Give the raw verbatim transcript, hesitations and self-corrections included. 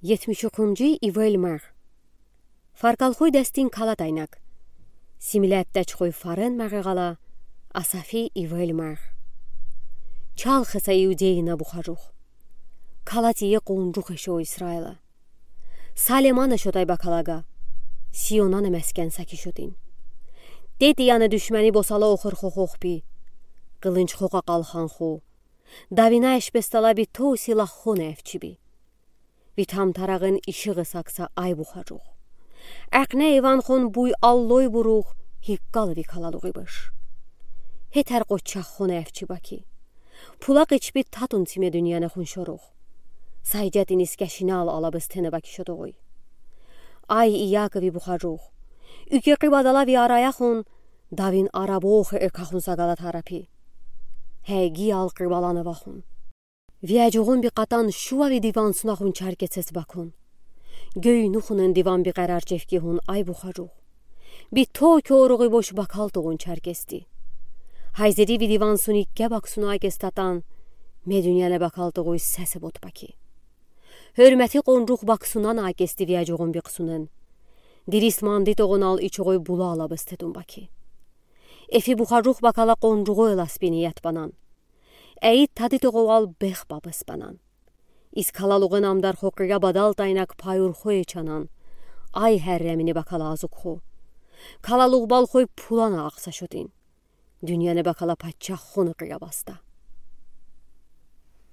Етмиш юкъумжи ивель марх. Фаркалхой дастин кала тайнак. Симиляб тачхой фарен мархи гала, Асафи ивель марх. Чалхиса Иудейина бухаруху. Кала тие къунжуху эшо Исраила. Салемана шотай бакалага, Сионана мяскен сакишотин. Тети яна душмани босала охор хохохби. Къылынч хока къалхан ху. Давина эшбестала би то силах хона эвчиби. Ви тамтарагын ишигъы сакса ай бухаруху. Акъне иван хон буй аллой бурух, хиккал ви калалугъи быш. Хетер къоччах хона эвчи баки. Пулакъ ичби татун тиме дунияна хун шорух. Сайдятин искешинал алабыз тена баки шотогъуй. Ай Иакови бухаруху. Уьке къибадала ви арая хун, давин арабохы экахун сагала тарапи. Хеги ал къибалана вахун. Виаджугъун би къатан шува ви диван сунахун чаркецес бакун. Гёй нухунен диван би къарар чевки хун ай бухаруху. Би то кёругъи бош бакал тугъун чаркесди. Хайзеди ви диван суни кебак суна акес татан, ме дунияна бакал тугъуй сесе бот баки. Хёрмети къунжух баксунана акесди виаджугъун би късунен. Дирис манди тогъунал ичугъуй була алабыз тетун баки. Эфи бухаруху бакала къунжугъуй ласпини ятбанан. Эйит тади тогъувал бех бабыс банан. Из калалугъын амдар хокъия бадал тайнак пайур хой чанан. Ай херремини бакала азук ху. Калалугъ балхой пулана ахса шотин. Дунияна бакала паччах хуна къия баста.